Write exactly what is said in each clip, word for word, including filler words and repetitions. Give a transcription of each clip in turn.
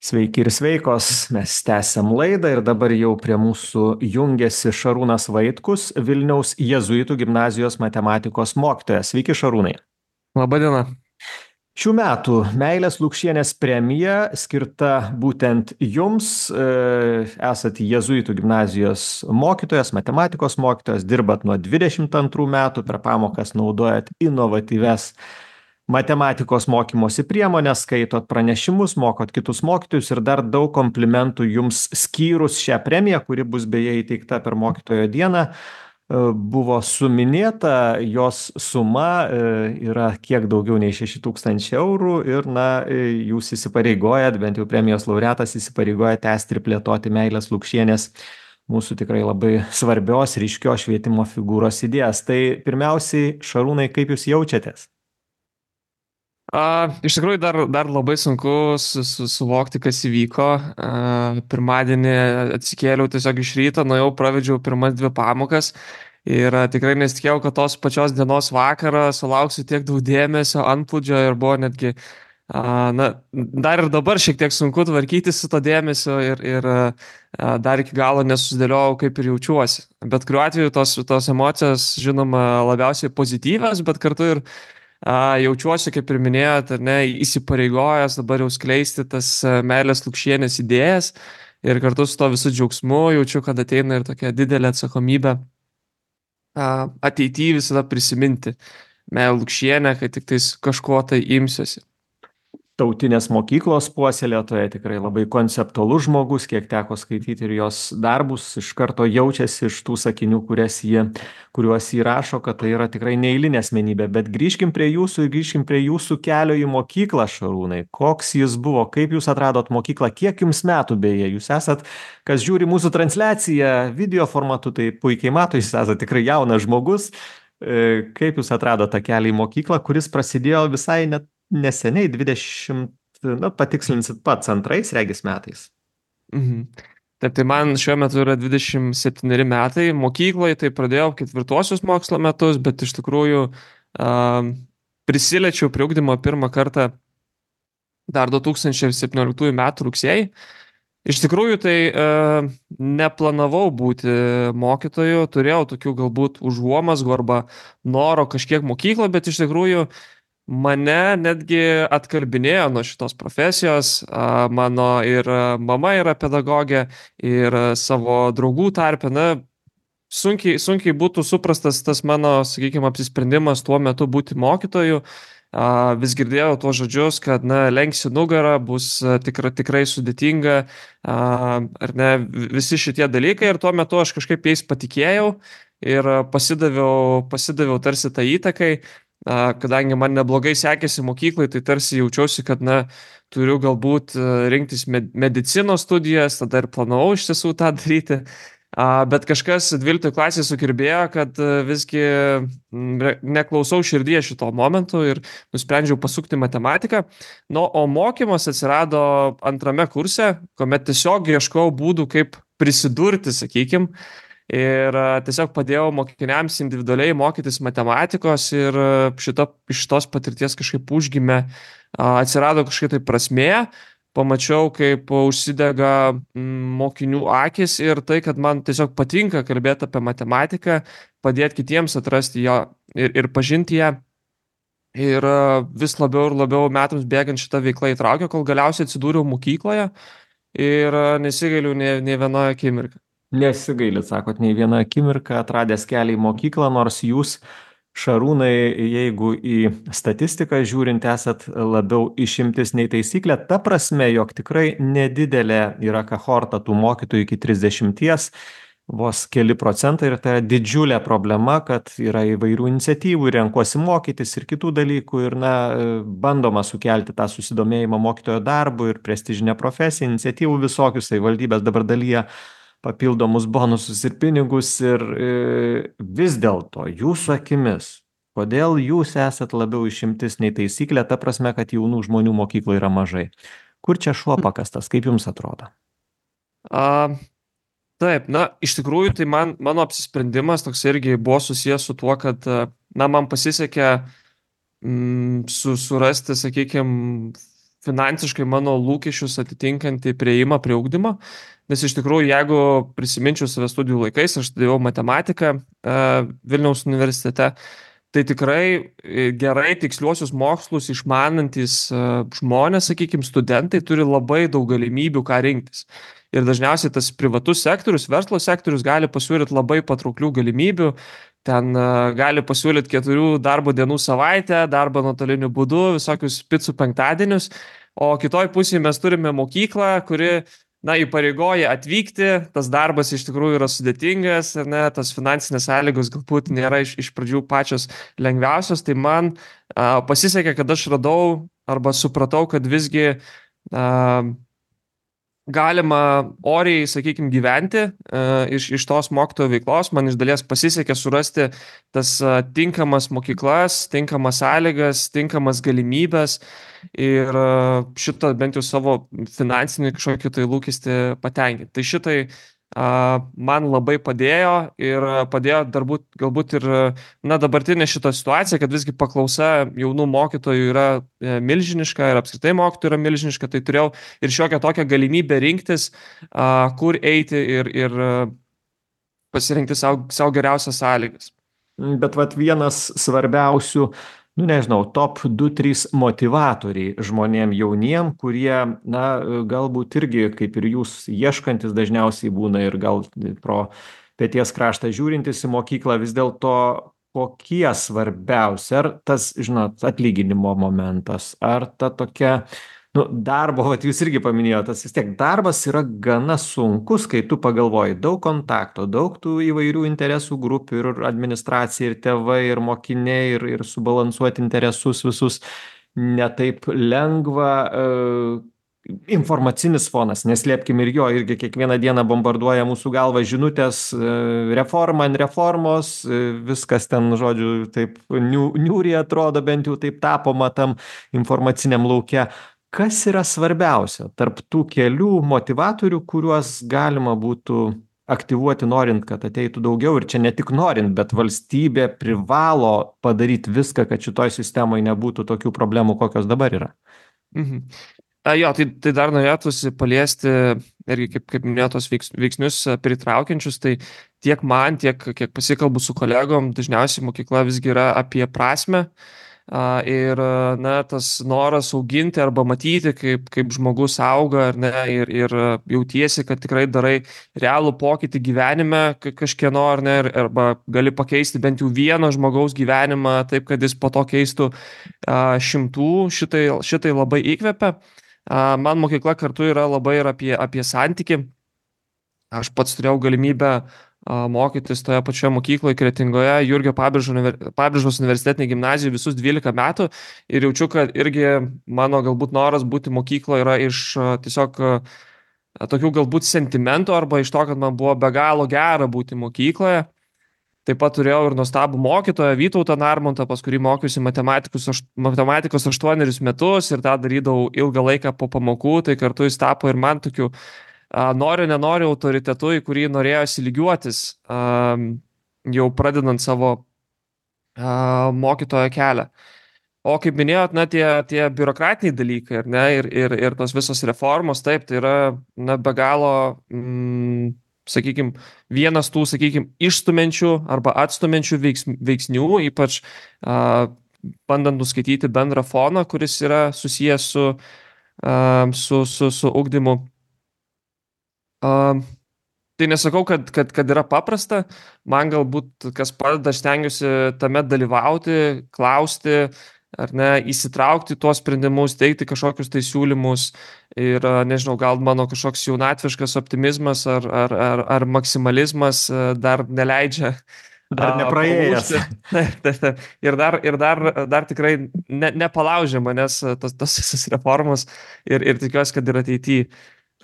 Sveiki ir sveikos, mes tęsiam laidą ir dabar jau prie mūsų jungiasi Šarūnas Vaitkus, Vilniaus jėzuitų gimnazijos matematikos mokytojas. Sveiki, Šarūnai. Labą dieną. Šių metų Meilės Lukšienės premija skirta būtent jums. e, Esat jėzuitų gimnazijos mokytojas, matematikos mokytojas, dirbat nuo dvidešimt antrų metų, per pamokas naudojat inovatyves matematikos mokymosi priemonės, skaitot pranešimus, mokot kitus mokytojus ir dar daug komplimentų jums skyrus šią premiją, kuri bus beje įteikta per mokytojo dieną. E, Buvo suminėta, jos suma e, yra kiek daugiau nei šeši tūkstančiai eurų ir, na, e, jūs įsipareigojat, bent jau premijos laureatas įsipareigoja tęsti ir plėtoti Meilės Lukšienės, mūsų tikrai labai svarbios, ryškios švietimo figūros idėjas. Tai pirmiausiai, Šarūnai, kaip jūs jaučiatės? A, iš tikrųjų dar, dar labai sunku su, su, suvokti, kas įvyko. A, pirmadienį atsikėliau tiesiog iš ryto, nuėjau, pravedžiau pirmas dvi pamokas ir a, tikrai nesitikėjau, kad tos pačios dienos vakarą sulauksiu tiek daug dėmesio, antplūdžio ir buvo netgi, a, na, dar ir dabar šiek tiek sunku tvarkytis su to dėmesio ir, ir a, dar iki galo nesusidėliojau, kaip ir jaučiuosi. Bet kuriuo atveju tos, tos emocijos, žinoma, labiausiai pozityvios, bet kartu ir A, jaučiuosi, kaip ir minėjot, ar ne, įsipareigojęs dabar jau skleisti tas a, Meilės Lukšienės idėjas ir kartu su to visų džiaugsmu jaučiu, kad ateina ir tokia didelė atsakomybė a, ateityje visada prisiminti Meilę Lukšienę, kai tik tais kažko tai imsiuosi. Tautinės mokyklos puoselėtoja, tikrai labai konceptualus žmogus, kiek teko skaityti ir jos darbus, iš karto jaučiasi iš tų sakinių, kurias jie, kuriuos jį rašo, kad tai yra tikrai neeilinė asmenybė. Bet grįžkim prie jūsų ir grįžkim prie jūsų kelio į mokyklą, Šarūnai. Koks jis buvo, kaip jūs atradot mokyklą, kiek jums metų beje? Jūs esat, kas žiūri mūsų transliaciją video formatu, tai puikiai mato, jūs esat tikrai jaunas žmogus. E, Kaip jūs atradot tą kelią į mokyklą, kuris prasidėjo visai net neseniai, dvidešimt, na, patikslinsit pats, antrais, regis, metais. Mhm. Taip, tai man šiuo metu yra dvidešimt septyneri metai. Mokykloje tai pradėjau ketvirtuosius mokslo metus, bet iš tikrųjų a, prisiliečiau prie ugdymo pirmą kartą dar du tūkstančiai septynioliktųjų metų rugsėjį. Iš tikrųjų tai e, neplanavau būti mokytoju, turėjau tokių galbūt užuomazgų arba noro kažkiek mokyklą, bet iš tikrųjų mane netgi atkalbinėjo nuo šitos profesijos. A, Mano ir mama yra pedagogė ir savo draugų tarpe, na, sunkiai, sunkiai būtų suprastas tas mano, sakykime, apsisprendimas tuo metu būti mokytoju. A, Vis girdėjau tuos žodžius, kad, na, lenksi nugarą, bus a, tikra, tikrai sudėtinga, a, ar ne, visi šitie dalykai ir tuo metu aš kažkaip jais patikėjau ir a, pasidaviau, pasidaviau tarsi tą įtakai. A, Kadangi man neblogai sekėsi mokyklai, tai tarsi jaučiausi, kad, na, turiu galbūt a, rinktis med- medicinos studijas, tada ir planavau iš tiesų tą daryti. A, Bet kažkas dvyliktoje klasėje sukirbėjo, kad a, visgi m, re- neklausau širdies šito momentu ir nusprendžiau pasukti matematiką. Nu, o mokymas atsirado antrame kurse, kuomet tiesiog ieškojau būdų, kaip prisidurti, sakykim. Ir a, tiesiog padėjau mokiniams individualiai mokytis matematikos ir a, šito, iš šitos patirties kažkaip užgimė, a, atsirado kažkaip tai prasmė, pamačiau, kaip užsidega mm, mokinių akis ir tai, kad man tiesiog patinka kalbėti apie matematiką, padėti kitiems atrasti ją ir, ir pažinti ją. Ir a, vis labiau ir labiau metams bėgant šitą veiklą įtraukė, kol galiausiai atsidūriau mokykloje ir a, nesigailiu nei, nei vienoje akimirką. Nesigailit, sakot, nei viena akimirka atradęs kelią į mokyklą, nors jūs, Šarūnai, jeigu į statistiką žiūrint, esat labiau išimtis nei taisyklė, ta prasme, jog tikrai nedidelė yra kohorta tų mokytojų iki trisdešimties, vos keli procentai, ir tai yra didžiulė problema, kad yra įvairių iniciatyvų, renkuosi mokytis ir kitų dalykų, ir, na, bandoma sukelti tą susidomėjimą mokytojo darbu ir prestižinę profesiją, iniciatyvų visokius, tai valdybės dabar dalyja papildomus bonusus ir pinigus ir e, vis dėlto jūsų akimis, kodėl jūs esat labiau išimtis nei taisyklė, ta prasme, kad jaunų žmonių mokykloje yra mažai. Kur čia šuo pakastas, kaip jums atrodo? A, taip, na, iš tikrųjų, tai man, mano apsisprendimas toks irgi buvo susijęs su tuo, kad, na, man pasisekė mm, su, surasti, sakykime, finansiškai mano lūkesčius atitinkantį prieimą prie ugdymo, nes iš tikrųjų, jeigu prisiminčiau save studijų laikais, aš studijavau matematiką uh, Vilniaus universitete, tai tikrai gerai tiksliuosius mokslus išmanantis uh, žmonės, sakykime, studentai turi labai daug galimybių, ką rinktis. Ir dažniausiai tas privatus sektorius, verslo sektorius gali pasiūlyti labai patrauklių galimybių. Ten uh, gali pasiūlyti keturių darbo dienų savaitę, darbą nuotoliniu būdu, visokius picų penktadienius. O kitoj pusėje mes turime mokyklą, kuri, na, įpareigoja atvykti. Tas darbas iš tikrųjų yra sudėtingas, ar ne, tas finansinės sąlygos galbūt nėra iš, iš pradžių pačios lengviausios. Tai man uh, pasisekė, kad aš radau arba supratau, kad visgi uh, galima oriai, sakykime, gyventi uh, iš, iš tos mokytojo veiklos. Man iš dalies pasisekė surasti tas uh, tinkamas mokyklas, tinkamas sąlygas, tinkamas galimybės ir uh, šitą bent jau savo finansinį kažkokį tai lūkestį patenkinti. Tai šitai uh, man labai padėjo ir padėjo darbūt, galbūt ir na, dabartinė šita situacija, kad visgi paklausa jaunų mokytojų yra milžiniška ir apskritai mokytojų yra milžiniška, tai turėjau ir šiokią tokią galimybę rinktis, uh, kur eiti ir, ir uh, pasirinkti savo, savo geriausias sąlygas. Bet vat vienas svarbiausių, nu nežinau, top du trys motyvatoriai žmonėm jauniem, kurie, na, galbūt irgi, kaip ir jūs, ieškantis dažniausiai būna ir gal pro peties kraštą žiūrintis į mokyklą, vis dėlto kokie svarbiausi, ar tas, žinot, atlyginimo momentas, ar ta tokia, nu, darbo, vat jūs irgi paminėjote, tas vis tiek darbas yra gana sunkus, kai tu pagalvoji, daug kontakto, daug tų įvairių interesų grupių ir administracija, ir tėvai, ir mokiniai, ir, ir subalansuoti interesus visus netaip lengva. E, informacinis fonas, neslėpkim ir jo, irgi kiekvieną dieną bombarduoja mūsų galvą žinutės, e, reforma ant reformos, e, viskas ten, žodžiu, taip niu, niūriai atrodo, bent jau taip tapoma tam informaciniam lauke. Kas yra svarbiausia tarp tų kelių motivatorių, kuriuos galima būtų aktyvuoti norint, kad ateitų daugiau, ir čia ne tik norint, bet valstybė privalo padaryti viską, kad šitoj sistemoje nebūtų tokių problemų, kokios dabar yra? Mhm. A, jo, tai, tai dar norėtųsi paliesti irgi, kaip, kaip minėtos veiks, veiksnius pritraukiančius, tai tiek man, tiek kiek pasikalbu su kolegom, dažniausiai mokykla visgi yra apie prasmę. Ir na, tas noras auginti arba matyti, kaip, kaip žmogus auga, ar ne, ir, ir jautiesi, kad tikrai darai realų pokytį gyvenime kažkieno, ar ne, arba gali pakeisti bent jau vieno žmogaus gyvenimą taip, kad jis po to keistų a, šimtų, šitai, šitai labai įkvepia. A, man mokykla kartu yra labai ir apie, apie santykį. Aš pats turėjau galimybę mokytis toje pačioje mokykloje Kretingoje, Jurgio Pabrėžos universitetinėje gimnazijoje visus dvylika metų ir jaučiu, kad irgi mano galbūt noras būti mokykloje yra iš tiesiog tokių galbūt sentimentų arba iš to, kad man buvo be galo gera būti mokykloje. Taip pat turėjau ir nuostabų mokytoją Vytautą Narmontą, pas kurį mokiausi matematikos, matematikos aštuonerius metus ir tą darydavau ilgą laiką po pamokų, tai kartu jis tapo ir man tokiu noriu, nenoriu autoritetu, į kurį norėjosi lygiuotis, jau pradedant savo mokytojo kelią. O kaip minėjot, na, tie, tie biurokratiniai dalykai, ar ne, ir, ir, ir tos visos reformos, taip, tai yra, na, be galo, mm, sakykime, vienas tų, sakykime, išstumenčių arba atstumenčių veiks, veiksnių, ypač a, bandant nuskaityti bendrą foną, kuris yra susijęs su, a, su, su, su ugdymu. Uh, tai nesakau, kad, kad, kad yra paprasta, man galbūt kas padeda, aš stengiuosi tame dalyvauti, klausti, ar ne, įsitraukti tuos sprendimus, teikti kažkokius tai siūlymus ir, nežinau, gal mano kažkoks jaunatviškas optimizmas ar, ar, ar, ar maksimalizmas dar neleidžia. Dar nepraėjęs. Ir dar, ir dar, dar tikrai ne, nepalaužė manęs tos, tos visos reformos ir, ir tikiuosi, kad ir ateityje.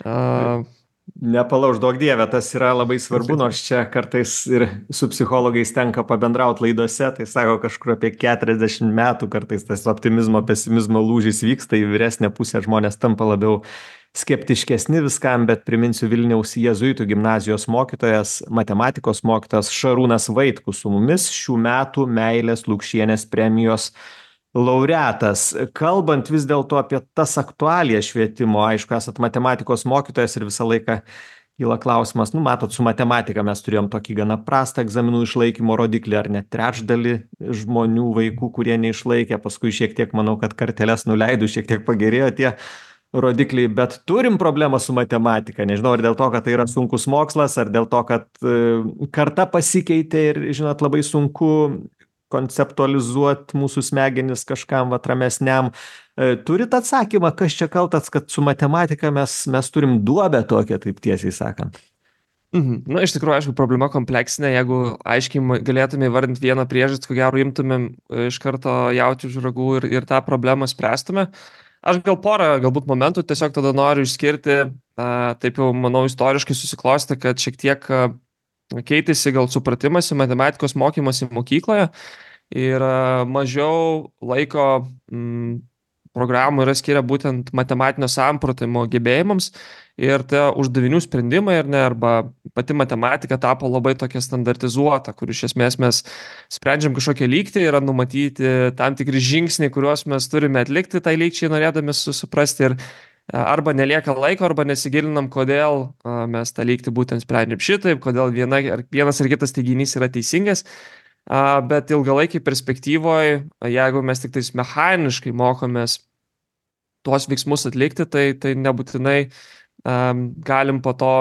Uh, Nepalauž, duok dieve, tas yra labai svarbu, nors čia kartais ir su psichologais tenka pabendrauti laidose, tai sako kažkur apie keturiasdešimt metų kartais tas optimizmo, pesimizmo lūžis vyksta, į vyresnę pusę žmonės tampa labiau skeptiškesni viskam, bet priminsiu Vilniaus jėzuitų gimnazijos mokytojas, matematikos mokytojas Šarūnas Vaitkus su mumis, šių metų Meilės Lukšienės premijos laureatas. Kalbant vis dėlto apie tas aktualijas švietimo, aišku, esat matematikos mokytojas ir visą laiką kyla klausimas, nu matot, su matematika mes turėjom tokį gana prastą egzaminų išlaikymo rodiklį, ar net trečdalį žmonių, vaikų, kurie neišlaikė, paskui šiek tiek, manau, kad karteles nuleidų, šiek tiek pagerėjo tie rodikliai, bet turim problemą su matematika. Nežinau, ar dėl to, kad tai yra sunkus mokslas, ar dėl to, kad e, karta pasikeitė ir, žinot, labai sunku konceptualizuoti mūsų smegenis kažkam vat ramesniam. E, turit atsakymą, kas čia kaltas, kad su matematika mes, mes turim duobę tokią, taip tiesiai sakant? Mhm. Na, iš tikrųjų, aišku, problema kompleksinė. Jeigu aiškiai ma- galėtume įvardinti vieną priežastį, ko gero imtumėm e, iš karto jauti už ragų ir, ir tą problemą spręstume. Aš gal porą, galbūt momentų tiesiog tada noriu išskirti, a, taip jau, manau, istoriškai susiklosti, kad šiek tiek a, keitėsi gal supratimas į matematikos mokymasi mokykloje ir a, mažiau laiko mm, programų yra skiria būtent matematinio samprotimo gebėjimams ir tie uždavinių sprendimai ar ne, arba pati matematika tapo labai tokia standartizuota, kur iš esmės mes sprendžiam kažkokią lygtį, yra numatyti tam tikri žingsniai, kuriuos mes turime atlikti tai lygčiai norėdami su- suprasti ir a, arba nelieka laiko, arba nesigilinam, kodėl a, mes tą lygtį būtent sprendžiam šitaip, kodėl viena, ar vienas ar kitas teiginys yra teisingas. A, Bet ilgalaikiai perspektyvoje, jeigu mes tik tais mechaniškai mokomės tuos veiksmus atlikti, tai, tai nebūtinai um, galim po to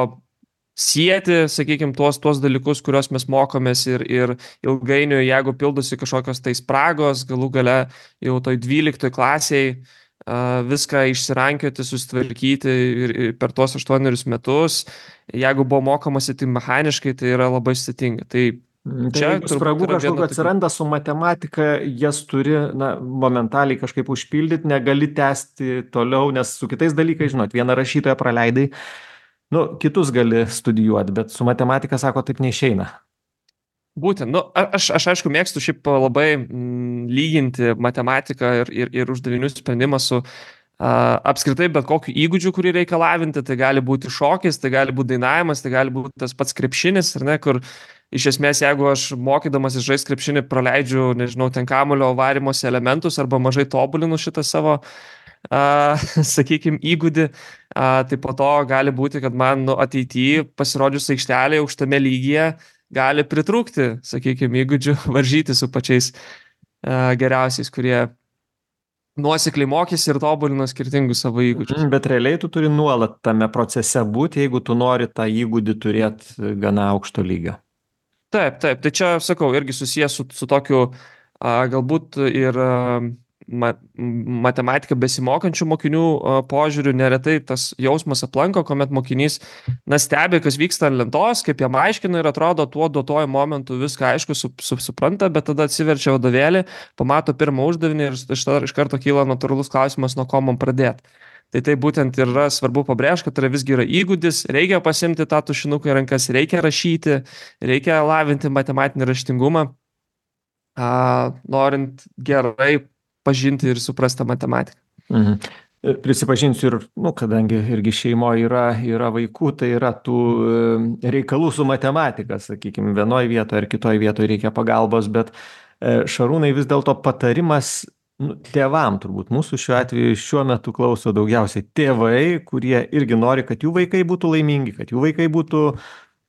sieti, sakykime, tuos, tuos dalykus, kuriuos mes mokomės ir, ir ilgainiui, jeigu pildosi kažkokios tai spragos, galų gale jau toj dvyliktoj klasiai uh, viską išsirankioti, susitvarkyti ir, ir per tuos aštuonerius metus, jeigu buvo mokomasi tai mechaniškai, tai yra labai sudėtinga. Tai Tai čia jeigu turbūt spragų yra viena kažkokių tokių- atsiranda su matematika, jas turi, na, momentaliai kažkaip užpildyti, negali tęsti toliau, nes su kitais dalykais, žinot, vieną rašytoją praleidai, nu, kitus gali studijuoti, bet su matematika, sako, taip neišeina. Būtent, nu, a- aš, aš aišku mėgstu šiaip labai mm, lyginti matematiką ir, ir, ir uždavinių sprendimą su a, apskritai bet kokiu įgūdžiu, kurį reikia lavinti. Tai gali būti šokis, tai gali būti dainavimas, tai gali būti tas pats krepšinis, ar ne, kur iš esmės, jeigu aš mokydamas žaisti krepšinį praleidžiu, nežinau, ten kamulio varimosi elementus arba mažai tobulinu šitą savo, uh, sakykime, įgūdį, uh, tai po to gali būti, kad man nu, ateityje pasirodžius aikštelėje aukštame lygyje gali pritrūkti, sakykime, įgūdžių varžyti su pačiais uh, geriausiais, kurie nuosekliai mokėsi ir tobulino skirtingus savo įgūdžius. Mhm, bet realiai tu turi nuolat tame procese būti, jeigu tu nori tą įgūdį turėti gana aukšto lygio. Taip, taip, tai čia, sakau, irgi susijęs su, su tokiu a, galbūt ir a, ma, matematiką besimokančių mokinių a, požiūriu neretai tas jausmas aplanko, kuomet mokinys, na, stebi, kas vyksta ant lentos, kaip jam aiškina ir atrodo tuo duotuoju momentu viską aišku su, su, supranta, bet tada atsiverčia vadovėlį, pamato pirmą uždavinį ir iš, iš karto kyla natūralus klausimas, nuo ko man pradėti. Tai tai būtent ir yra svarbu pabrėžti, kad tai visgi yra įgūdis, reikia pasimti tą tušinuką į rankas, reikia rašyti, reikia lavinti matematinį raštingumą, a, norint gerai pažinti ir suprasti matematiką. Mhm. Prisipažinsiu ir, nu, kadangi irgi šeimoje yra, yra vaikų, tai yra tų e, reikalų su matematika, sakykime, vienoje vietoje ar kitoje vietoje reikia pagalbos, bet e, Šarūnai vis dėlto patarimas, nu, tėvam turbūt, mūsų šiuo atveju šiuo metu klauso daugiausiai tėvai, kurie irgi nori, kad jų vaikai būtų laimingi, kad jų vaikai būtų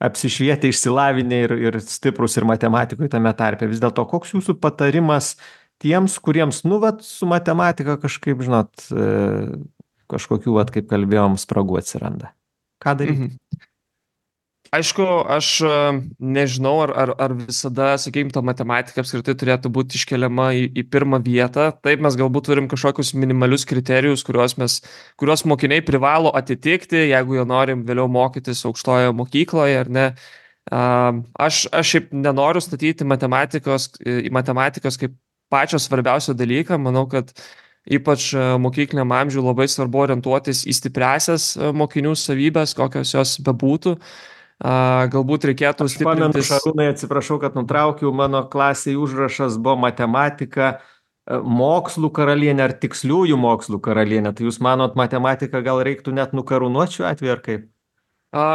apsišvietę, išsilavinę ir, ir stiprus ir matematikoje tame tarpe. Vis dėlto, koks jūsų patarimas tiems, kuriems, nu, vat, su matematika kažkaip, žinot, e, kažkokių, vat, kaip kalbėjom, spragų atsiranda. Ką daryti? Mhm. Aišku, aš a, nežinau, ar, ar, ar visada, sakykime, ta matematika apskritai turėtų būti iškeliama į, į pirmą vietą. Taip, mes galbūt turim kažkokius minimalius kriterijus, kuriuos, mes, kuriuos mokiniai privalo atitikti, jeigu jie norim vėliau mokytis aukštoje mokykloje, ar ne. A, Aš, aš šiaip nenoriu statyti matematikos, į matematikos kaip pačio svarbiausio dalyką. Manau, kad ypač a, mokykliniam amžiui labai svarbu orientuotis į stipriasias a, mokinių savybės, kokios jos bebūtų. A, galbūt reikėtų Aš pamenu, stiprintis. Šarūnai, atsiprašau, kad nutraukiau, mano klasėje užrašas buvo matematika, e, mokslų karalienė ar tiksliųjų mokslų karalienė. Tai jūs manot, matematiką gal reiktų net nukarūnuoti šiuo atveju, ar kaip? A,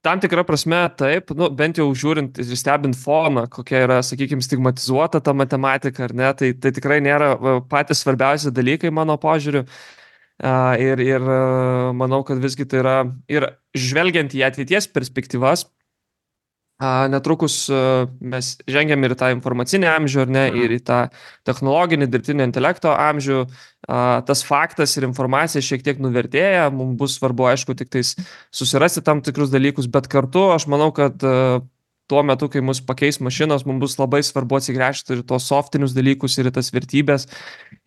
tam tikra prasme taip, nu, bent jau žiūrint ir stebint foną, kokia yra, sakykime, stigmatizuota ta matematika, ar ne, tai, tai tikrai nėra va, patys svarbiausi dalykai mano požiūriu. A, ir, ir a, manau, kad visgi tai yra ir žvelgiant į ateities perspektyvas, a, netrukus a, mes žengiam ir į tą informacinį amžių, ar ne, ir į tą technologinį dirbtinio intelekto amžių. A, tas faktas ir informacija šiek tiek nuvertėja, mums bus svarbu, aišku, tik tais susirasti tam tikrus dalykus, bet kartu aš manau, kad a, tuo metu, kai mus pakeis mašinos, mums bus labai svarbu atsigręžti ir tos softinius dalykus, ir tas vertybės,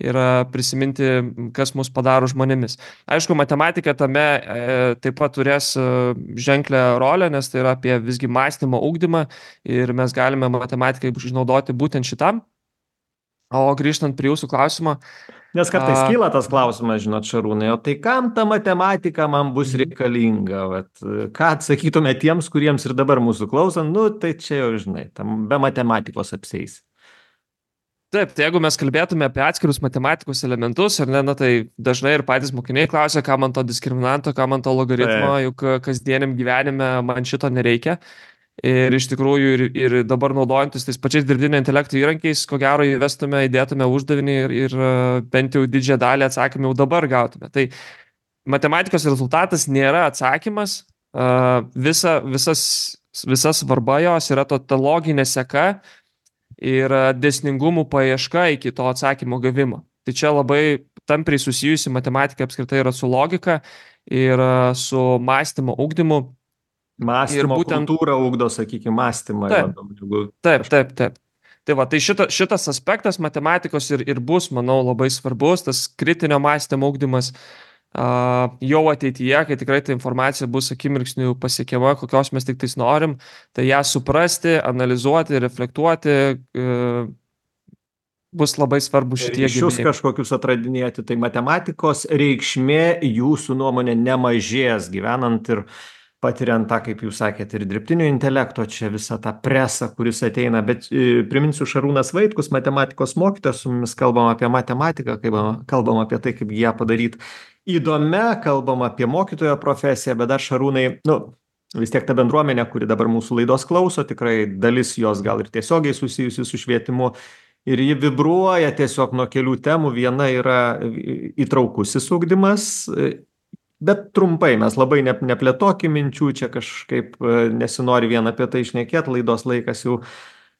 ir a, prisiminti, kas mus padaro žmonėmis. Aišku, matematika tame e, taip pat turės e, ženklę rolę, nes tai yra apie visgi mąstymo ugdymą ir mes galime matematikai išnaudoti būtent šitam. O grįžtant prie jūsų klausimo. Nes kartais a, kyla tas klausimas, žinot, Šarūnai, o tai kam ta matematika man bus reikalinga? Vat, ką atsakytume tiems, kuriems ir dabar mūsų klausant, nu tai čia jau, žinai, tam be matematikos apseis. Taip, tai jeigu mes kalbėtume apie atskirus matematikos elementus, ar ne, na, tai dažnai ir patys mokiniai klausia, ką man to diskriminanto, ką man to logaritmo, Taip. juk kasdieniam gyvenime man šito nereikia. Ir iš tikrųjų ir, ir dabar naudojantis tais pačiais dirbtinio intelekto įrankiais, ko gero įvestume, įdėtume uždavinį ir, ir bent jau didžiąją dalį atsakymų jau dabar gautume. Tai matematikos rezultatas nėra atsakymas, visa, visas, visas svarba jos yra to ta loginė seka ir dėsningumų paieška iki to atsakymo gavimo. Tai čia labai tampriai susijusi matematika apskritai yra su logika ir su mąstymo ugdymu. Mąstymo būtent, kultūrą ugdo, sakykime, mąstymą. Taip, jeigu... taip, taip, taip. Tai va, tai šita, šitas aspektas matematikos ir, ir bus, manau, labai svarbus, tas kritinio mąstymo ugdymas uh, jau ateityje, kai tikrai ta informacija bus akimirksniu pasiekiama, kokios mes tik tais norim, tai ją suprasti, analizuoti, reflektuoti, uh, bus labai svarbu šitie gebėjimai. Ryšius kažkokius atradinėti, tai matematikos reikšmė jūsų nuomonė nemažės gyvenant ir patiriant tą, kaip jūs sakėte, ir dirbtinio intelekto, čia visą tą presą, kuris ateina. Bet e, priminsiu, Šarūnas Vaitkus, matematikos mokytojas, su mumis kalbam apie matematiką, kalbam, kalbam apie tai, kaip ją padaryti įdomia, kalbam apie mokytojo profesiją, bet dar Šarūnai, nu, vis tiek ta bendruomenė, kuri dabar mūsų laidos klauso, tikrai dalis jos gal ir tiesiogiai susijusi su švietimu, ir ji vibruoja tiesiog nuo kelių temų. Viena yra įtraukusis ugdymas. Bet trumpai, mes labai ne, neplėtokim minčių, čia kažkaip nesinori vien apie tai šnekėti, laidos laikas jau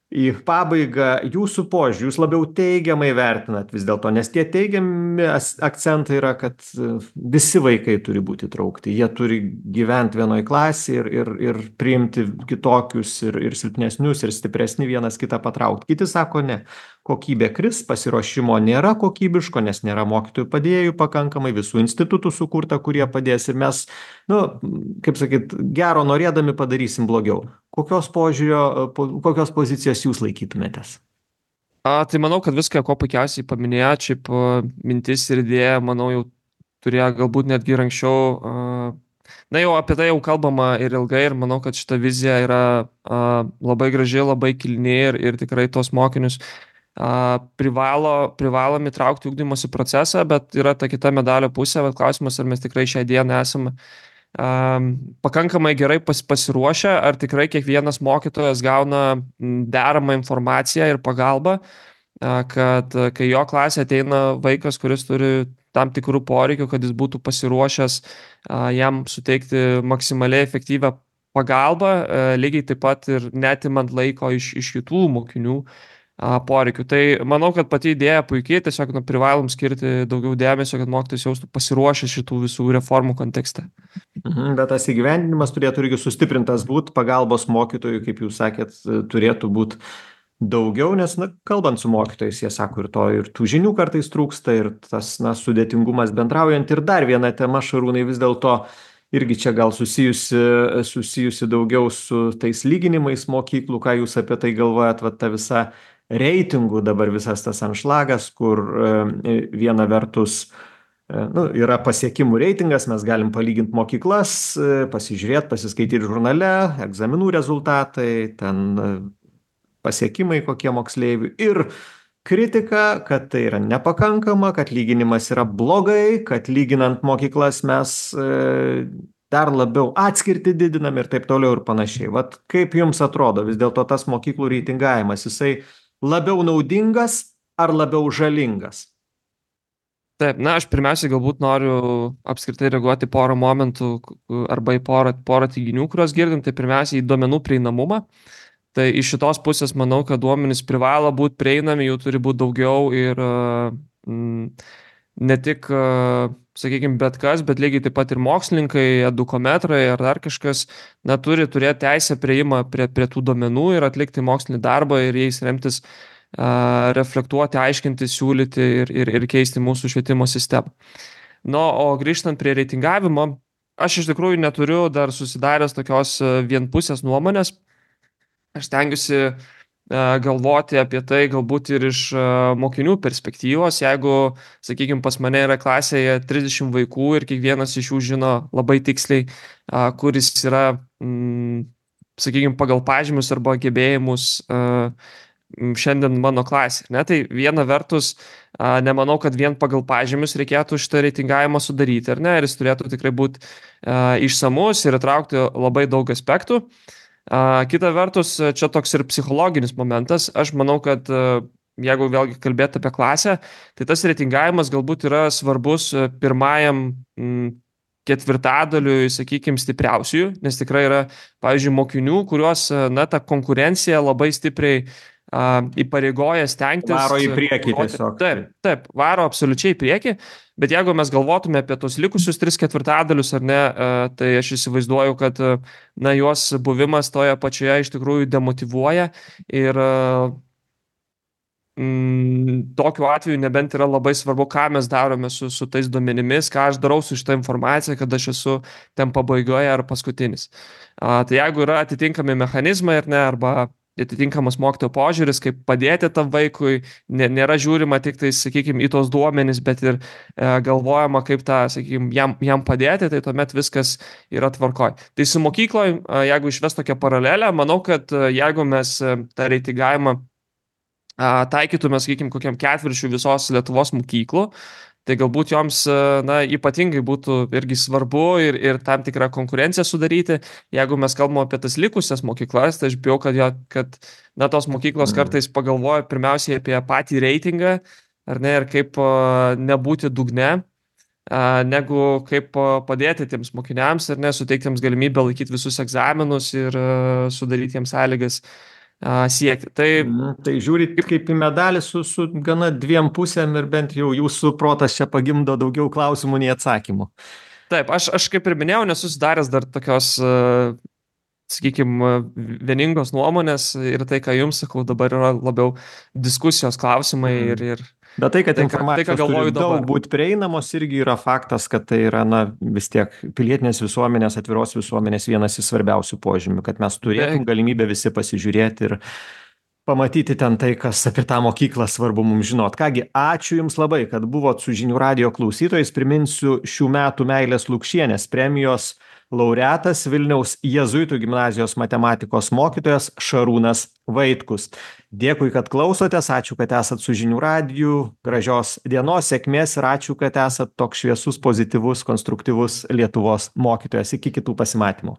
į pabaigą. Jūsų požiūrį, jūs labiau teigiamai vertinat vis dėlto, nes tie teigiami akcentai yra, kad visi vaikai turi būti įtraukti, jie turi gyventi vienoj klasėje ir, ir, ir priimti kitokius ir, ir silpnesnius ir stipresni vienas kitą patraukti. Kiti sako ne. Kokybė kris, pasiruošimo nėra kokybiško, nes nėra mokytojų padėjėjų pakankamai, visų institutų sukurta, kurie padės ir mes, nu, kaip sakyt, gero norėdami padarysim blogiau. Kokios požiūrio, kokios pozicijos jūs laikytumėtės? A, tai manau, kad viską, ko puikiausiai paminėjo, šiaip mintis ir idėja, manau, jau turėjo galbūt netgi ir anksčiau. A, na, jau apie tai jau kalbama ir ilgai ir manau, kad šita vizija yra a, labai graži, labai kilni ir, ir tikrai tos mokinius privalo, privalom įtraukti ugdymosi procesą, bet yra ta kita medalio pusė, bet klausimas, ar mes tikrai šią dieną esame um, pakankamai gerai pas, pasiruošę, ar tikrai kiekvienas mokytojas gauna deramą informaciją ir pagalbą, uh, kad kai jo klasė ateina vaikas, kuris turi tam tikrų poreikių, kad jis būtų pasiruošęs uh, jam suteikti maksimaliai efektyvę pagalbą, uh, lygiai taip pat ir netimant laiko iš, iš kitų mokinių poreikių. Tai manau, kad pati idėja puikiai, tiesiog nu, privalom skirti daugiau dėmesio, kad mokytojas jaustų pasiruošę šitų visų reformų kontekste. Mhm, bet tas įgyvendinimas turėtų irgi sustiprintas būti, pagalbos mokytojų, kaip jūs sakėt, turėtų būti daugiau, nes, na, kalbant su mokytojais, jie sako ir to, ir tų žinių kartais trūksta, ir tas, na, sudėtingumas bendraujant. Ir dar viena tema, Šarūnai, vis dėlto irgi čia gal susijusi, susijusi daugiau su tais lyginimais mokyklų, ką jūs apie tai galvojat, va ta visa reitingų dabar visas tas anšlagas, kur viena vertus nu, yra pasiekimų reitingas, mes galim palyginti mokyklas, pasižiūrėti, pasiskaityti žurnale, egzaminų rezultatai, ten pasiekimai kokie moksleivių ir kritika, kad tai yra nepakankama, kad lyginimas yra blogai, kad lyginant mokyklas mes dar labiau atskirtį didinam ir taip toliau ir panašiai. Vat kaip jums atrodo, vis dėlto tas mokyklų reitingavimas, jisai labiau naudingas ar labiau žalingas? Taip, na, aš pirmiausiai galbūt noriu apskritai reaguoti porą momentų arba į porą, porą teiginių, kuriuos girdim. Tai pirmiausiai į duomenų prieinamumą. Tai iš šitos pusės manau, kad duomenys privalo būti prieinami, jų turi būti daugiau ir mm, ne tik, sakykime, bet kas, bet lygiai taip pat ir mokslininkai, edukometrai ar dar kažkas, na, turi turėti teisę prieimą prie, prie tų duomenų ir atlikti mokslinį darbą ir jais remtis, a, reflektuoti, aiškinti, siūlyti ir, ir, ir keisti mūsų švietimo sistemą. Nu, o grįžtant prie reitingavimo, aš iš tikrųjų neturiu dar susidaręs tokios vienpusės nuomonės. Aš stengiuosi galvoti apie tai galbūt ir iš mokinių perspektyvos. Jeigu, sakykime, pas mane yra klasėje trisdešimt vaikų ir kiekvienas iš jų žino labai tiksliai, kuris yra, sakykime, pagal pažymius arba gebėjimus šiandien mano klasė. Ne? Tai viena vertus, nemanau, kad vien pagal pažymius reikėtų šitą reitingavimą sudaryti, ar ne? Ir jis turėtų tikrai būti išsamus ir įtraukti labai daug aspektų. Kita vertus, čia toks ir psichologinis momentas. Aš manau, kad jeigu vėlgi kalbėti apie klasę, tai tas reitingavimas galbūt yra svarbus pirmajam ketvirtadaliui, sakykime, stipriausiųjų, nes tikrai yra, pavyzdžiui, mokinių, kuriuos, na, ta konkurencija labai stipriai a, įpareigoja stengtis. Varo į priekį tiesiog. Taip, taip, varo absoliučiai į priekį, bet jeigu mes galvotume apie tos likusius tris ketvirtadalius, ar ne, a, tai aš įsivaizduoju, kad, na, juos buvimas toje pačioje iš tikrųjų demotyvuoja ir a, Mm, tokiu atveju nebent yra labai svarbu, ką mes darome su, su tais duomenimis, ką aš darau su šitą informaciją, kad aš esu ten pabaigoje ar paskutinis. A, tai jeigu yra atitinkami mechanizmai ar ne, arba atitinkamas mokytojo požiūris, kaip padėti tam vaikui, nė, nėra žiūrima tik tai, sakykime, į tos duomenys, bet ir e, galvojama, kaip tą, sakykime, jam, jam padėti, tai tuomet viskas yra tvarkoj. Tai su mokykloje, jeigu išves tokią paralelę, manau, kad jeigu mes tą reitingavimą taikytume, sakykime, kokiam ketvirčiui visos Lietuvos mokyklų, tai galbūt joms, na, ypatingai būtų irgi svarbu ir, ir tam tikrą konkurenciją sudaryti. Jeigu mes kalbame apie tas likusias mokyklas, tai aš bijau, kad, jo, kad na, tos mokyklos kartais pagalvoja pirmiausiai apie patį reitingą, ar ne, ir kaip nebūti dugne, negu kaip padėti tiems mokiniams, ar ne, suteikti jiems galimybę laikyti visus egzaminus ir sudaryti jiems sąlygas siekti. Tai, tai žiūrit kaip į medalį su, su gana dviem pusėm ir bent jau jūsų protas čia pagimdo daugiau klausimų nei atsakymų. Taip, aš, aš kaip ir minėjau, nesusidaręs dar tokios, sakykime, vieningos nuomonės ir tai, ką jums sakau, dabar yra labiau diskusijos klausimai mm. ir, ir Bet tai, kad tai, informacijos tai, turi daug būti prieinamos, irgi yra faktas, kad tai yra, na, vis tiek pilietinės visuomenės, atviros visuomenės vienas iš svarbiausių požymių, kad mes turėtum galimybę visi pasižiūrėti ir pamatyti ten tai, kas apie tą mokyklą svarbu mums žinot. Kągi, ačiū Jums labai, kad buvot su Žinių radijo klausytojais. Priminsiu šių metų Meilės Lukšienės premijos laureatas Vilniaus Jėzuitų gimnazijos matematikos mokytojas Šarūnas Vaitkus. Dėkui, kad klausotės, ačiū, kad esat su Žinių radiju, gražios dienos, sėkmės ir ačiū, kad esat toks šviesus, pozityvus, konstruktyvus Lietuvos mokytojas. Iki kitų pasimatymų.